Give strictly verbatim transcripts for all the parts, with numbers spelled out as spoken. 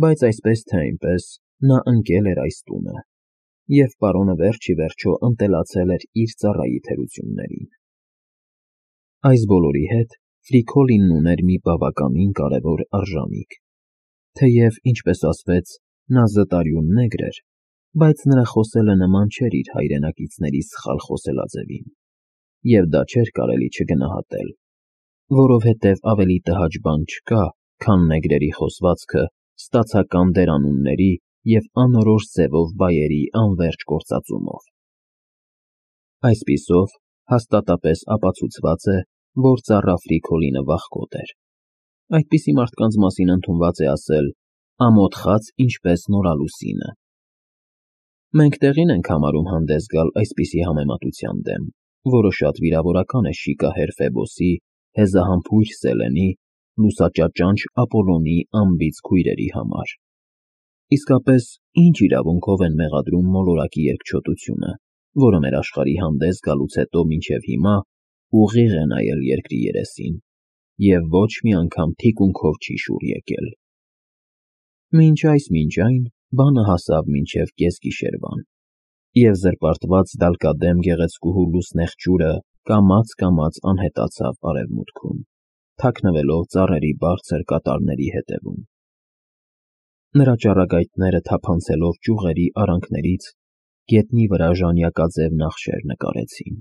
բայց այսպես թե այնպես նա ընկել էր այս տունը, և պարոնը վերջ ի վերջո ընտելացել էր իր ծառայի թերություններին։ Այս բոլորի հետ Ֆրիկոլինն ուներ մի բավականին կարևոր արժանիք, թեև, ինչպես ասվեց, նա զտարյուն նեգր էր, բայց նրա խոսելը նման չէր իր հայրենակիցների սխալ խոսելաձևին, և դա չէր կարելի չգնահատել, որովհետև ավելի տհաճ բան չկա, քան նեգրերի խոսվածքը ստացական դերանունների և անորոշ ձևով բայերի անվերջ գործածումով։ Այսպիսով հաստատապես ապացուցված է, որ ծառա Ֆրիկոլինը վախկոտ էր։ Այդպիսի մարդկանց մասին ընդունված է ասել. «Ամոթ խաց ինչպես նորալուսինը»։ Մենք տեղին ենք համարում հանդես գալ այսպիսի համեմատության դեմ, որը շատ վիրավորական է շիկահեր Ֆեբոսի, հեզահամբույր Սելենի, լուսաճաճանչ Ապոլոնի անբիծ քույրերի համար։ Իսկապես, ինչ իրավունքով են մեղադրում մոլորակի երկչոտությունը, որը մեր աշխարհի հանդես գալուց հետո մինչև հիմա ուղիղ է նայել երկրի երեսին և ոչ մի անգամ թիկունքով չի շուռ եկել։ Մինչ այս մինչ այն բանը հասավ մինչև կեսգիշերվան, և զրպարտված դալկադեմ գեղեցկուհու լուսնեղ ջուրը կամաց֊կամաց անհետացավ արևմուտքում, թաքնվելով ծառերի բարձր կատարների հետևում։ Նրա ճառագայթները թափանցելով ճյուղերի արանքներից գետնի վրա ժանյակաձև նախշեր նկարեցին,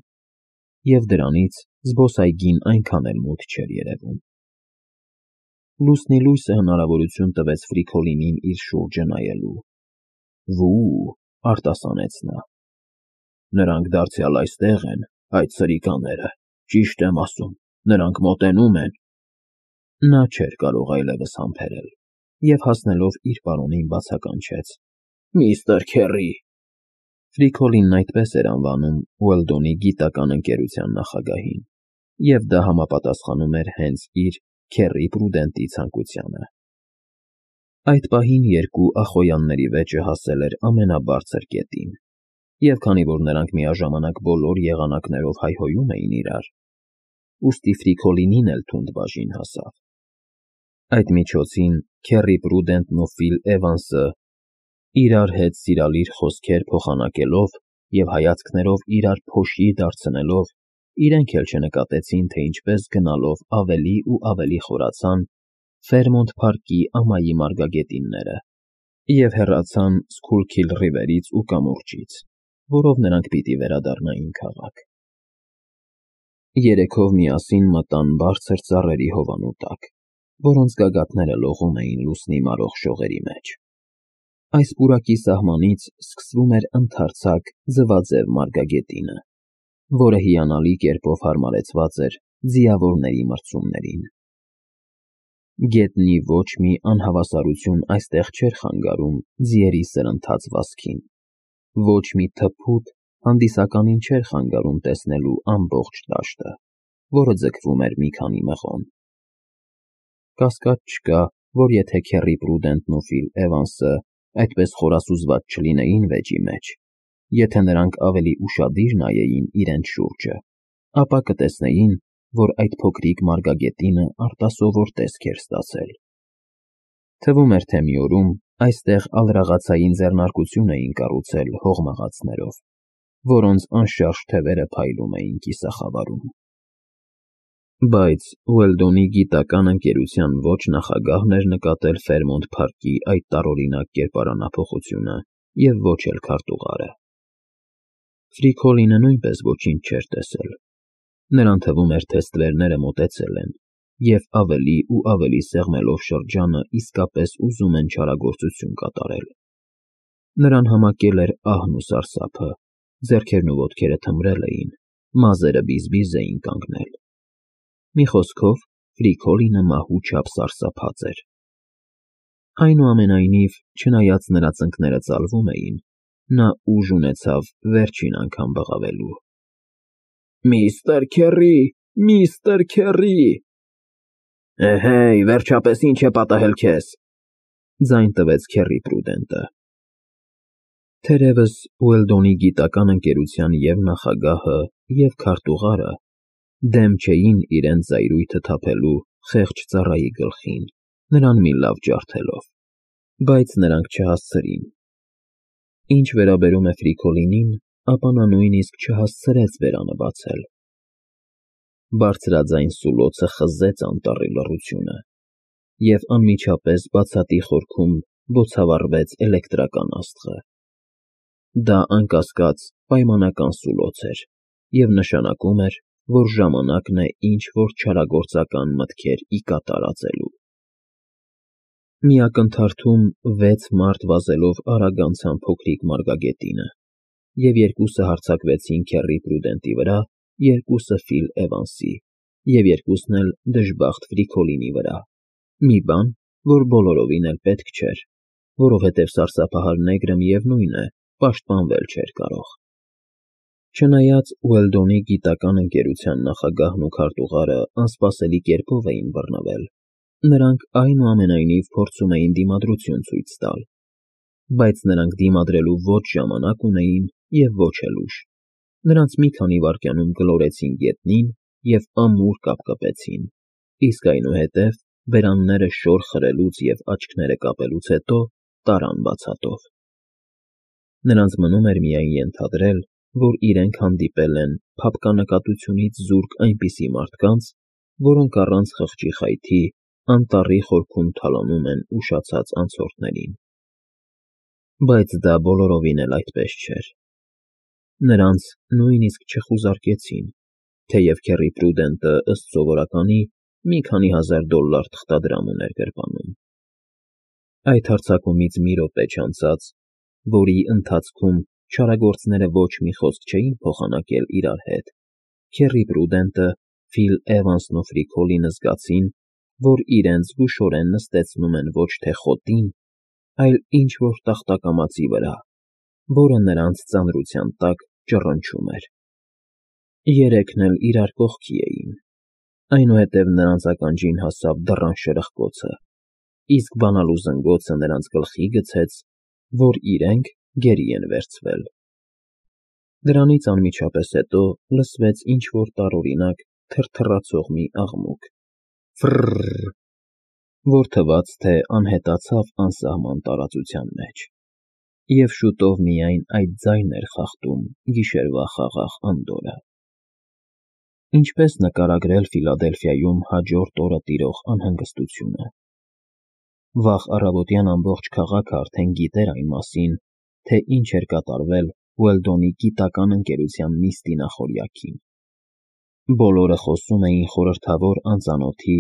և դրանից զբոսայգին այնքան էլ մութ չէր երևում։ Լուսնի լույսը հնարավորություն տվեց Ֆրիկոլինին իր շուրջը նայելու։ «Վո՜ւ», արտասանեց նա։ «Նրանք դարձյալ այստեղ են, այդ սրիկաները, ճիշտ եմ ասում, նրանք մոտենում են»։ Նա չէր կարող այլևս համբերել և հասնելով իր պարոնին բացականչեց. «Միստր Քեռի»։ Ֆրիկոլինն այդպես էր անվանում Ուելդոնի գիտական ընկերության նախագահին, և դա համապատասխանում էր հենց իր՝ Քեռի Պրուդենտի ցանկությանը։ Այդ պահին երկու ախոյանների վեճը հասել էր ամենաբարձր կետին, և քանի որ նրանք միաժամանակ բոլոր եղանակներով հայհոյում էին իրար, ուստի Ֆրիկոլինին էլ թունդ բաժին հասավ։ Այդ միջոցին Քեռի Պրուդենտն ու Ֆիլ Էվանսը, իրար հետ սիրալիր խոսքեր փոխանակելով և հայացքներով իրար փոշի դարձնելով, իրենք էլ չնկատեցին, թե ինչպես գնալով ավելի ու ավելի խորացան Ֆերմոնտ Փարքի ամայի մարգագետինները և հեռացան Սքուլքիլ Ռիվերից ու կամուրջից, որով նրանք պիտի վերադառնային քաղաք։ Երեքով միասին մտան բարձր ծառերի հովանու տակ, որոնց գագաթները լողում էին լուսնի մարող շողերի մեջ։ Այս պուրակի սահմանից սկսվում էր ընդարձակ ձվաձև մարգագետինը, որը հիանալի կերպով հարմարեցված էր ձիավորների մրցումներին։ Գետնի ոչ մի անհավասարություն այստեղ չէր խանգարում ձիերի սրընթաց վազքին, ոչ մի թփուտ հանդիսականին չէր խանգարում տեսնելու ամբողջ դաշտը, որը ձգվում էր մի քանի մղոն։ Կասկած չկա, որ եթե Քեռի Պրուդենտն ու Ֆիլ Էվանսը այդպես խորասուզված չլինեին վեճի մեջ, եթե նրանք ավելի ուշադիր նայեին իրենց շուրջը, ապա կտեսնեին, որ այդ փոքրիկ մարգագետինը արտասովոր տեսք էր ստացել։ Թվում էր, թե մի օրում այստեղ ալրաղացային ձեռնարկություն էին կառուցել հողմաղացներով, որոնց անշարժ թևերը փայլում էին կիսախավարում։ Բայց Ուելդոնի գիտական ընկերության ոչ նախագահն էր նկատել Ֆերմոնտ Փարքի այդ տարօրինակ կերպարանափոխությունը և ոչ էլ քարտուղարը։ Ֆրիկոլինը նույնպես ոչինչ չէր տեսել։ Նրան թվում էր, թե ստվերները մոտեցել են և ավելի ու ավելի սեղմելով շրջանը իսկապես ուզում են չարագործություն կատարել։ Նրան համակել էր ահն ու սարսափը, ձեռքերն ու ոտքերը թմրել էին, մազերը բիզ֊բիզ էին կանգնել։ Մի խոսքով, Ֆրիկոլինը մահու չափ սարսափած էր։ Այնուամենայնիվ, չնայած նրա ծնկները ծալվում էին, նա ուժ ունեցավ վերջին անգամ բղավելու։ «Միստր Քեռի, միստր Քեռի»։ «Էհեյ, վերջապես ի՞նչ է պատահել քեզ», ձայն տվեց Քեռի Պրուդենտը։ Թերևս Ուելդոնի գիտական ընկերության և նախագահը, և քարտուղարը դեմ չէին իրենց զայրույթը թափելու խեղճ ծառայի գլխին, նրան մի լավ ջարդելով։ բայց նրանք չհասցրին։ Ինչ վերաբերում է Ֆրիկոլինին, ապա նա նույնիսկ չհասցրեց բերանը բացել։ Բարձրաձայն սուլոցը խզեց անտառի լռությունը, և անմիջապես բացատի խորքում բոցավառվեց էլեկտրական աստղը։ Դա անկասկած պայմանական սուլոց էր և նշանակում էր, որ ժամանակն է ինչ-որ չարագործական մտքեր ի կատար ածելու։ Մի ակնթարթում վեց մարդ վազելով արագ անցան փոքրիկ մարգագետինը, և երկուսը հարձակվեցին Քեռի Պրուդենտի վրա, երկուսը Ֆիլ Էվանսի, և երկուսն էլ դժբախտ Ֆրիկոլինի վրա, մի բան, որ բոլորովին էլ պետք չէր, որովհետև սարսափահար նեգրը, միևնույն է, պաշտպանվել չէր կարող։ Չնայած Ուելդոնի գիտական ընկերության նախագահն ու քարտուղարը անսպասելի կերպով էին բռնվել, նրանք այնուամենայնիվ փորձում էին դիմադրություն ցույց տալ, բայց նրանք դիմադրելու ոչ ժամանակ ունեին և ոչ էլ ուժ։ Նրանց մի քանի վայրկյանում գլորեցին գետնին և ամուր կապկպեցին, իսկ այնուհետև բերանները շոր խրելուց և աչքերը կապելուց հետո տարան բացատով։ Նրանց մնում էր միայն ենթադրել, որ իրենք հանդիպել են փափկանակատությունից զուրկ այնպիսի մարդկանց, որոնք առանց խղճի խայթի անտառի խորքում թալանում են ուշացած անցորդներին։ Բայց դա բոլորովին էլ այդպես չէր։ Նրանց նույնիսկ չխուզարկեցին, թեև Քեռի Պրուդենտը, ըստ սովորականի, մի քանի հազար դոլլար թղթադրամ ուներ գրպանում։ Այդ հարձակումից մի րոպե չանցած, որի ընթացքում չարագործները ոչ մի խոսք չէին փոխանակել իրար հետ, Քեռի Պրուդենտը, Ֆիլ Էվանսն ու Ֆրիկոլինը զգացին, որ իրենց զգուշորեն նստեցնում են ոչ թե խոտին, այլ ինչ֊որ տախտակամածի վրա, որը նրանց ծանրության տակ ճռնչում էր։ Երեքն էլ իրար կողքի էին, այնուհետև նրանց ականջին հասավ դռան շրխկոցը, իսկ բանալու զնգոցը նրանց գլխի գցեց, որ իրենք գերի են վերցվել։ Դրանից անմիջապես հետո լսվեց ինչ֊որ տարօրինակ թրթռացող մի աղմուկ՝ ֆռռռ, որ թվաց, թե անհետացավ անսահման տարածության մեջ, և շուտով միայն այդ ձայնն էր խախտում գիշերվա խաղաղ անդորրը։ Ինչպես նկարագրել Ֆիլադելֆիայում հաջորդ օրը տիրող անհանգստությունը։ Վաղ առավոտյան ամբողջ քաղաքը արդեն գիտեր այն մասին, թե ինչ էր կատարվել Ուելդոնի գիտական ընկերության նիստի նախօրյակին։ Բոլորը խոսում էին խորհրդավոր անծանոթի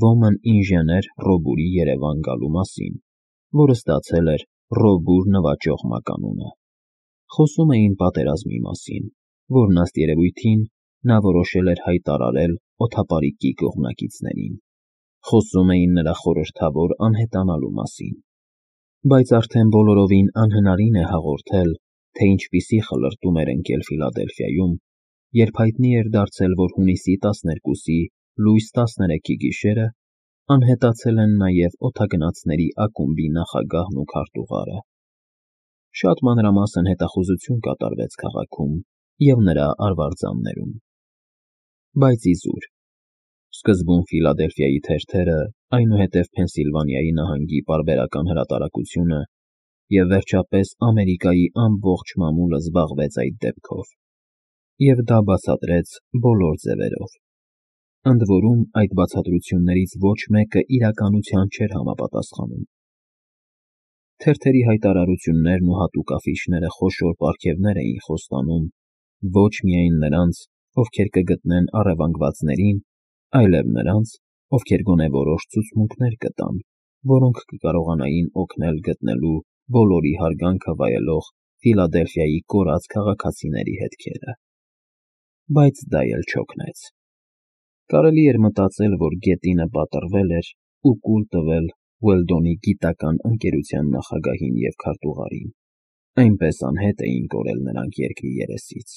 ոմն ինժեներ Ռոբուրի Երևան գալու մասին, որը ստացել էր Ռոբուր նվաճող մականունը։ Խոսում էին պատերազմի մասին, որն ըստ երևույթին նա որոշել էր հայտարարել օդապարիկի կողմնակիցներին։ Խոսում էին նրա խորհրդավոր անհետանալու մասին։ Բայց արդեն բոլորովին անհնարին է հաղորդել, թե ինչպիսի խլրտում էր ընկել Ֆիլադելֆիայում, երբ հայտնի էր դարձել, որ հունիսի տասներկուսի լույս տասներեքի գիշերը անհետացել են նաև օդագնացների ակումբի նախագահն ու քարտուղարը։ Շատ մանրամասն հետախուզություն կատարվեց քաղաքում և նրա արվարձաններում։ Բայց իզուր։ Սկզբում Ֆիլադելֆիայի թերթերը, այնուհետև Փենսիլվանիայի նահանգի պարբերական հրատարակությունը և վերջապես Ամերիկայի ամբողջ մամուլը զբաղվեց այդ դեպքով, և դա բացատրեց բոլոր ձևերով։ Ընդ որում, այդ բացատրություններից ոչ մեկը իրականության չէր համապատասխանում։ Թերթերի հայտարարություններն ու հատուկ աֆիշները խոշոր պարգևներ էին խոստանում ոչ միայն նրանց, ովքեր կգտնեն առևանգվածներին, այլև նրանց, ովքեր գոնե որոշ ցուցմունքներ կտան, որոնք կկարողանային օգնել գտնելու բոլորի հարգանքը վայելող Ֆիլադելֆիայի կորած քաղաքացիների հետքերը։ Բայց դա էլ չօգնեց։ Կարելի էր մտածել, որ գետինը պատռվել էր ու կուլ տվել Ուելդոնի գիտական ընկերության նախագահին և քարտուղարին, այնպես անհետ էին կորել նրանք երկրի երեսից։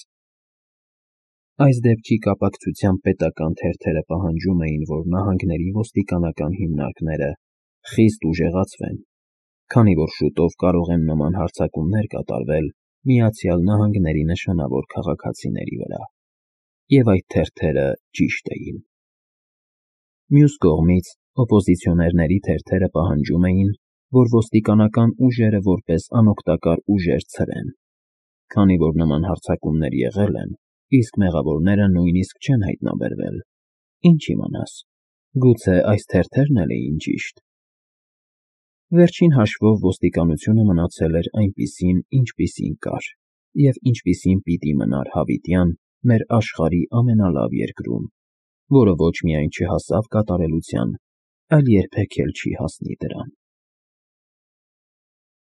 Այս դեպքի կապակցությամբ պետական թերթերը պահանջում էին, որ նահանգների ոստիկանական հիմնարկները խիստ ուժեղացվեն, քանի որ շուտով կարող են նման հարձակումներ կատարվել Միացյալ Նահանգների նշանավոր քաղաքացիների վրա։ Եվ այդ թերթերը ճիշտ էին։ Մյուս կողմից, օպոզիցիոներների թերթերը պահանջում էին, որ ոստիկանական ուժերը որպես անօգտակար ուժեր ցրեն։ Քանի որ նման հարձակումներ եղել են, իսկ մեղավորները նույնիսկ չեն հայտնաբերվել, ինչ իմանաս, գուցե այս թերթերն էլ էին ճիշտ։ Վերջին հաշվով ոստիկանությունը մնացել էր այնպիսին, ինչպիսին կար, և ինչպիսին պիտի մնար հավիտյան մեր աշխարհի ամենալավ երկրում, որը ոչ միայն չհասավ կատարելության, այլ երբեք էլ չի հասնի դրան։